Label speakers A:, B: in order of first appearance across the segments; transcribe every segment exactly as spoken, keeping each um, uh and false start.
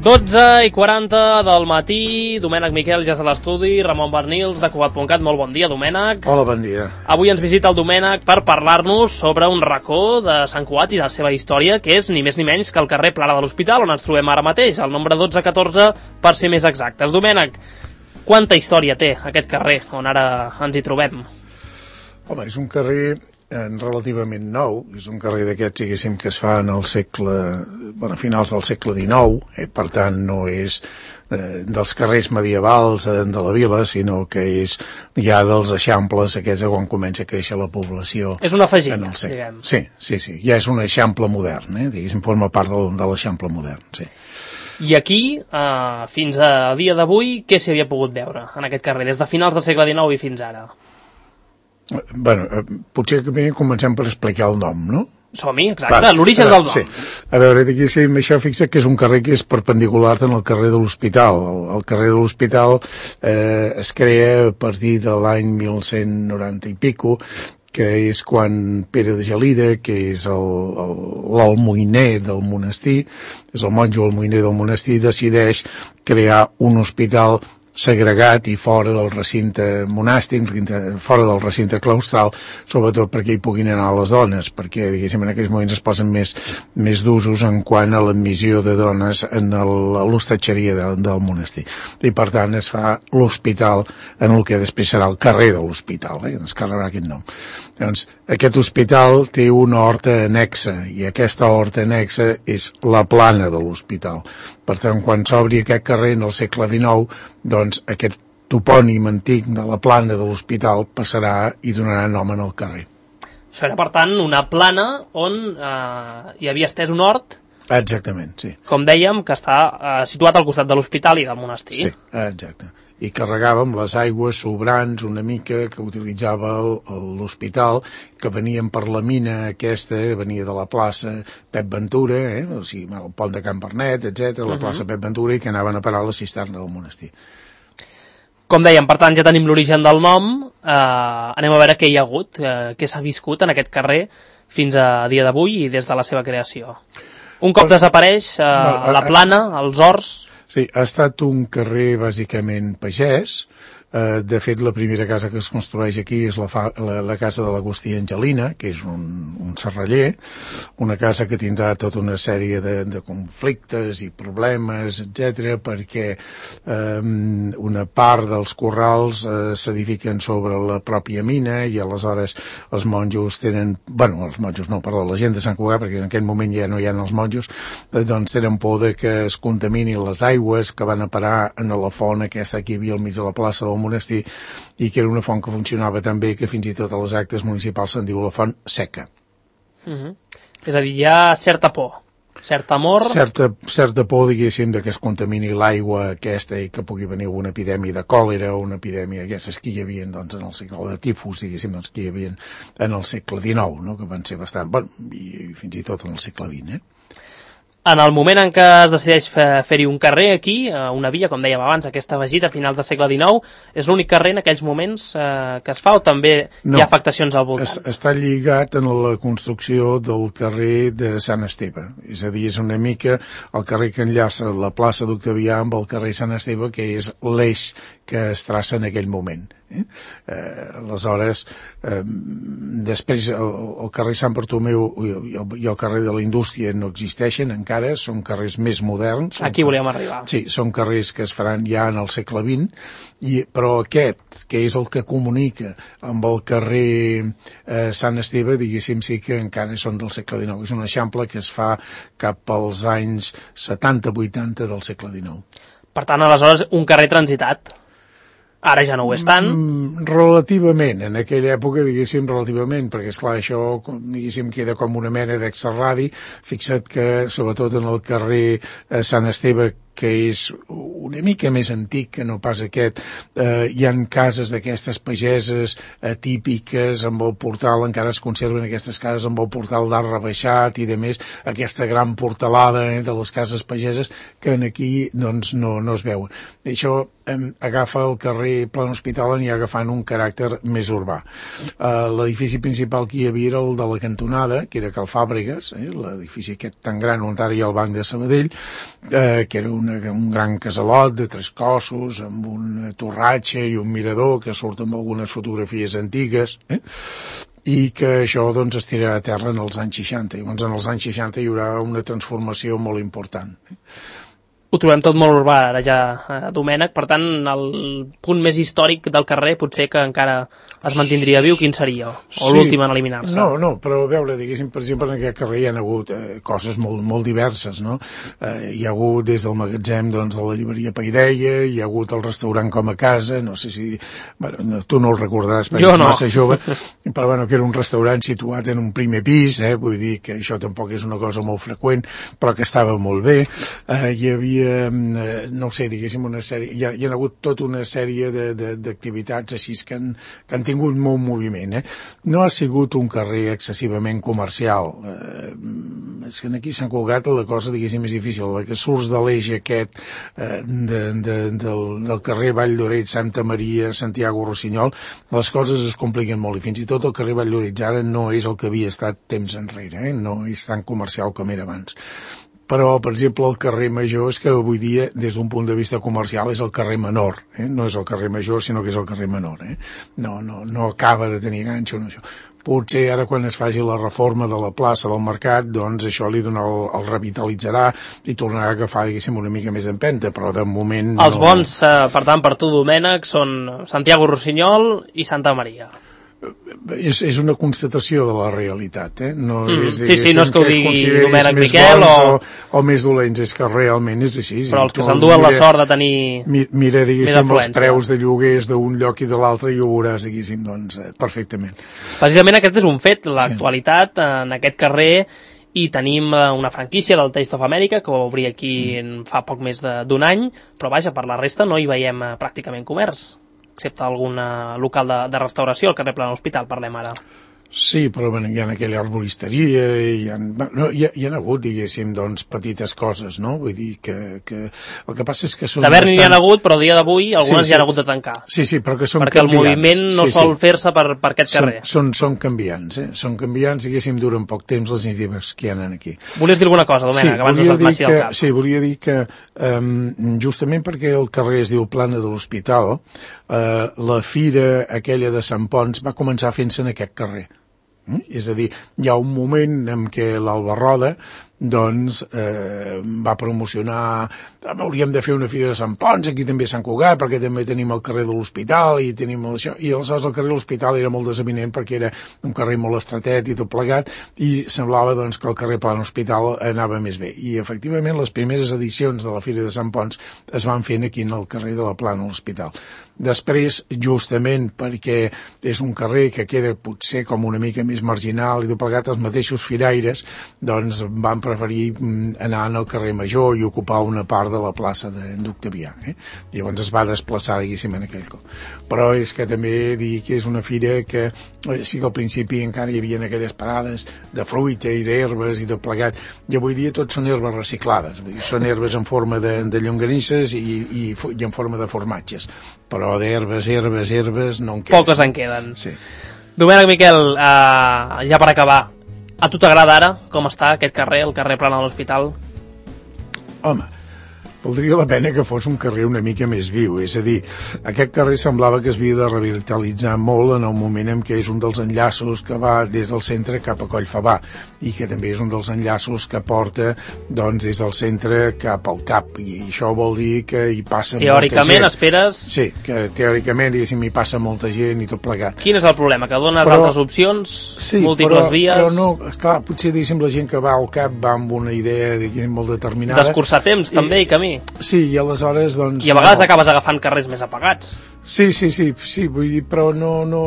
A: dotze i quaranta del matí, Domènec Miquel ja és a l'estudi, Ramon Bernils de Cugat punt cat, molt bon dia, Domènec.
B: Hola, bon dia.
A: Avui ens visita el Domènec per parlar-nos sobre un racó de Sant Cugat i la seva història, que és ni més ni menys que el carrer Plara de l'Hospital, on ens trobem ara mateix, el nombre dotze catorze, per ser més exactes. Domènec, quanta història té aquest carrer on ara ens hi trobem?
B: Home, és un carrer relativament nou, és un carrer d'aquests, diguéssim, que es fa en el segle, bueno, a finals del segle dinou, eh? Per tant no és eh, dels carrers medievals eh, de la vila, sinó que és ja dels eixamples aquests quan comença a créixer la població.
A: És un afegit, diguem.
B: Sí, sí, sí, ja és un eixample modern, eh? Diguéssim, forma part de, de l'eixample modern, sí.
A: I aquí, eh, fins a dia d'avui, què s'hi havia pogut veure en aquest carrer, des de finals del segle dinou i fins ara?
B: Bueno, potser que bé comencem per explicar el nom, no?
A: Som-hi, exacte, l'origen del nom. Sí.
B: A veure, aquí sí, això fixa que és un carrer que és perpendicular en el carrer de l'Hospital. El, el carrer de l'Hospital eh, es crea a partir de l'any mil cent noranta i pico, que és quan Pere de Gelida, que és l'almoiner del monestir, és el monjo almoiner del monestir, decideix crear un hospital segregat i fora del recinte monàstic, fora del recinte claustral, sobretot perquè hi puguin anar les dones, perquè, diguéssim, en aquells moments es posen més, més d'usos en quant a l'admissió de dones en l'hostatgeria de, del monestir. I, per tant, es fa l'hospital en el que després serà el carrer de l'Hospital, eh? Es carregarà aquest nom. Doncs, aquest hospital té una horta anexa, i aquesta horta anexa és la plana de l'hospital. Per tant, quan s'obri aquest carrer en el segle dinou, doncs aquest topònim antic de la plana de l'hospital passarà i donarà nom en el carrer.
A: Això era, per tant, una plana on eh, hi havia estès un hort.
B: Exactament, sí.
A: Com dèiem, que està eh, situat al costat de l'hospital i del monestir.
B: Sí, exacte. I carregàvem les aigües sobrants una mica que utilitzava l'hospital, que venien per la mina aquesta, venia de la plaça Pep Ventura, eh? O sigui, el pont de Can Bernet, etcètera, la plaça Pep Ventura, i que anaven a parar a la cisterna del monestir.
A: Com dèiem, per tant, ja tenim l'origen del nom, eh, anem a veure què hi ha hagut, eh, què s'ha viscut en aquest carrer fins a dia d'avui i des de la seva creació. Un cop pues, desapareix eh, no, la plana, els horts.
B: Sí, ha estat un carrer bàsicament pagès. Uh, de fet, la primera casa que es construeix aquí és la, fa, la, la casa de l'Agustí Angelina, que és un, un serraller, una casa que tindrà tota una sèrie de, de conflictes i problemes, etcètera, perquè um, una part dels corrals uh, s'edifiquen sobre la pròpia mina i aleshores els monjos tenen, bueno, els monjos no, perdó, la gent de Sant Cugat, perquè en aquell moment ja no hi ha els monjos, eh, doncs tenen por de que es contaminin les aigües que van a parar en la font aquesta que hi havia al mig de la plaça del monestir, i que era una font que funcionava tan bé que fins i tot a les actes municipals se'n diu la font seca.
A: Uh-huh. És a dir, hi ha certa por, cert amor...
B: Certa, certa por, diguéssim, de que es contamini l'aigua aquesta i que pugui venir una epidèmia de còlera o una epidèmia d'aquestes que hi havia doncs, en el segle de tifus, diguéssim, doncs, que hi havia en el segle dinou, no? Que van ser bastant... Bueno, i fins i tot en el segle vint, eh?
A: En el moment en què es decideix fer-hi un carrer aquí, una via, com dèiem abans, aquesta afegit a finals del segle dinou, és l'únic carrer en aquells moments eh, que es fa o també no, hi ha afectacions al voltant?
B: Es, està lligat en la construcció del carrer de Sant Esteve. És a dir, és una mica el carrer que enllaça la plaça d'Octavià amb el carrer Sant Esteve, que és l'eix que es traça en aquell moment. Eh? Eh, aleshores, eh, després el, el carrer Sant Bartomeu i el, i el carrer de la Indústria no existeixen encara, són carrers més moderns.
A: Aquí volíem arribar.
B: Sí, són carrers que es faran ja en el segle vint, i, però aquest, que és el que comunica amb el carrer eh, Sant Esteve, diguéssim, sí que encara són del segle dinou. És un eixample que es fa cap als anys setanta vuitanta del segle dinou.
A: Per tant, aleshores, un carrer transitat. Ara ja no ho és tant?
B: Mm, relativament, en aquella època, diguéssim, relativament, perquè, esclar, això, diguéssim, queda com una mena d'extrarradi. Fixa't que, sobretot en el carrer eh, Sant Esteve, que és una mica més antic que no pas aquest, eh, hi ha cases d'aquestes pageses eh, típiques, amb el portal, encara es conserven aquestes cases amb el portal d'art rebaixat i de més, aquesta gran portalada eh, de les cases pageses que en aquí doncs no, no es veuen. I això eh, agafa el carrer Plan Hospital i agafant un caràcter més urbà. Eh, l'edifici principal que hi havia era el de la cantonada, que era Cal Fàbregues, eh, l'edifici aquest tan gran on ara hi ha el Banc de Sabadell, eh, que era un una, un gran casalot de tres cossos, amb una torratxa i un mirador que surt amb algunes fotografies antigues, eh? I que això doncs es tirarà a terra en els anys seixanta, i llavors en els anys seixanta hi haurà una transformació molt important.
A: Ho trobem tot molt urbà ara ja, eh, Domènec, per tant el punt més històric del carrer potser que encara es mantindria viu, quin seria? O sí, l'últim en eliminar-se?
B: No, no, però a veure, diguéssim, per exemple, en aquest carrer hi ha hagut eh, coses molt, molt diverses, no? Eh, hi ha hagut des del magatzem, doncs, de la llibreria Paideia, hi ha hagut el restaurant Com a Casa, no sé si... Bueno, no, tu no el recordaràs perquè
A: jo
B: ets
A: no.
B: massa jove, però bueno, que era un restaurant situat en un primer pis, eh? Vull dir que això tampoc és una cosa molt freqüent, però que estava molt bé. Eh, hi havia... Eh, no sé, diguéssim, una sèrie, hi ha, hi ha hagut tota una sèrie d'activitats així que han, que han tingut molt moviment. Eh? No ha sigut un carrer excessivament comercial. Eh, és que aquí a Sant Cugat la cosa, diguéssim, és difícil. La que surts de l'eix aquest eh, de, de, del, del carrer Vall d'Oreig, Santa Maria, Santiago Rossinyol, les coses es compliquen molt i fins i tot el carrer Vall d'Oreig ara no és el que havia estat temps enrere, eh? No és tan comercial com era abans. Però, per exemple, el carrer Major és que avui dia, des d'un punt de vista comercial, és el carrer menor. Eh? No és el carrer Major, sinó que és el carrer menor. Eh? No, no, no acaba de tenir ganxo. No, això. Potser ara, quan es faci la reforma de la plaça del Mercat, doncs això li dona el, el revitalitzarà i tornarà a agafar, diguéssim, una mica més d'empenta, però de moment...
A: Els
B: no...
A: bons, eh, per tant, per tu, Domènec, són Santiago Rossinyol i Santa Maria.
B: És, és una constatació de la realitat, eh? No
A: mm,
B: és,
A: sí, sí, no és que ho digui Domènec Miquel o...
B: o... o més dolents, és que realment és així.
A: Però els que s'enduen la sort de tenir
B: mi, mira, diguéssim, els preus de lloguers d'un lloc i de l'altre i ho veuràs, diguéssim, doncs, eh, perfectament.
A: Precisament aquest és un fet, l'actualitat sí. En aquest carrer, i tenim una franquícia del Taste of America que va obrir aquí mm. fa poc més d'un any, però vaja, per la resta no hi veiem pràcticament comerç, excepte algun local de, de restauració al carrer Plana Hospital, parlem ara.
B: Sí, però bueno, hi ha aquella arboristeria, hi ha, no, hi, ha, hi ha hagut, diguéssim, doncs, petites coses, no? Vull dir que, que el que passa és que són...
A: D'haver-n'hi bastant... hi ha hagut, però el dia d'avui algunes sí, sí. hi ha hagut de tancar.
B: Sí, sí, però que són
A: perquè
B: canviants.
A: El moviment no sí, sol sí. fer-se per, per aquest
B: són,
A: carrer.
B: Són, són canviants, eh? Són canviants, diguéssim, duren poc temps les iniciatives que hi ha aquí.
A: Volies dir alguna cosa, Domènec, sí, abans no se't passi al cap?
B: Sí, volia dir que um, justament perquè el carrer es diu Plana de l'Hospital, uh, la fira aquella de Sant Ponç va començar fent-se en aquest carrer. Mm? És a dir, hi ha un moment en què l'Alba Roda doncs eh, va promocionar, hauríem de fer una fira de Sant Ponç, aquí també a Sant Cugat, perquè també tenim el carrer de l'Hospital i tenim això, i aleshores el carrer de l'Hospital era molt desavinent perquè era un carrer molt estretet i tot plegat, i semblava doncs que el carrer Plana Hospital anava més bé, i efectivament les primeres edicions de la fira de Sant Ponç es van fent aquí en el carrer de la Plana Hospital. Després, justament perquè és un carrer que queda potser com una mica més marginal i tot plegat, els mateixos firaires doncs van preferir anar al carrer Major i ocupar una part de la plaça d'Octavià. Eh? Llavors es va desplaçar, diguéssim, en aquell cop. Però és que també dir que és una fira que sí que al principi encara hi havia aquelles parades de fruita i d'herbes i tot plegat, i avui dia tot són herbes reciclades. Vull dir, són herbes en forma de, de llonganisses i, i, i en forma de formatges. Però d'herbes, herbes, herbes no en queden.
A: Poques en queden.
B: Sí.
A: Domènec Miquel, eh, ja per acabar, a tu t'agrada ara com està aquest carrer, el carrer Plana de l'Hospital?
B: Home, valdria la pena que fos un carrer una mica més viu, és a dir, aquest carrer semblava que es havia de revitalitzar molt en el moment en què és un dels enllaços que va des del centre cap a Collfabà i que també és un dels enllaços que porta doncs des del centre cap al Cap, i això vol dir que hi passa
A: teòricament molta gent. Esperes...
B: Sí, que teòricament diguéssim hi passa molta gent i tot plegat.
A: Quin és el problema? Que dones però, altres opcions,
B: sí,
A: múltiples
B: però,
A: vies...
B: però no, esclar, potser diguéssim la gent que va al Cap va amb una idea diguéssim molt determinada.
A: D'escurçar temps I, també i camí.
B: Sí, i aleshores doncs...
A: I a vegades no. acabes agafant carrers més apagats.
B: Sí, sí, sí, sí, vull dir, però no, no,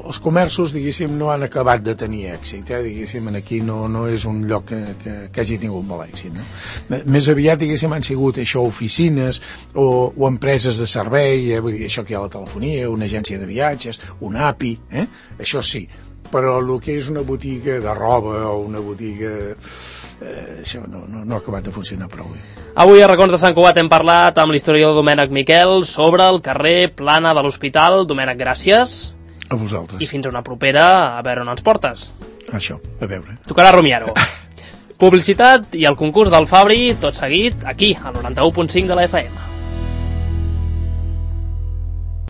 B: els comerços, diguéssim, no han acabat de tenir èxit, eh? Diguéssim, aquí no, no és un lloc que, que, que hagi tingut molt èxit, no? Més aviat, diguéssim, han sigut això, oficines o, o empreses de servei, eh? Vull dir, això que hi ha la telefonia, una agència de viatges, un A P I, eh? Això sí, però el que és una botiga de roba o una botiga... Eh, això no, no, no ha acabat de funcionar prou bé.
A: Avui a Racons de Sant Cugat hem parlat amb l'historiador Domènec Miquel sobre el carrer Plana de l'Hospital. Domènec, gràcies.
B: A vosaltres.
A: I fins a una propera, a veure on ens portes.
B: Això, a veure.
A: Tocarà rumiar-ho. Publicitat i el concurs del Fabri, tot seguit, aquí, al noranta-u punt cinc de la F M.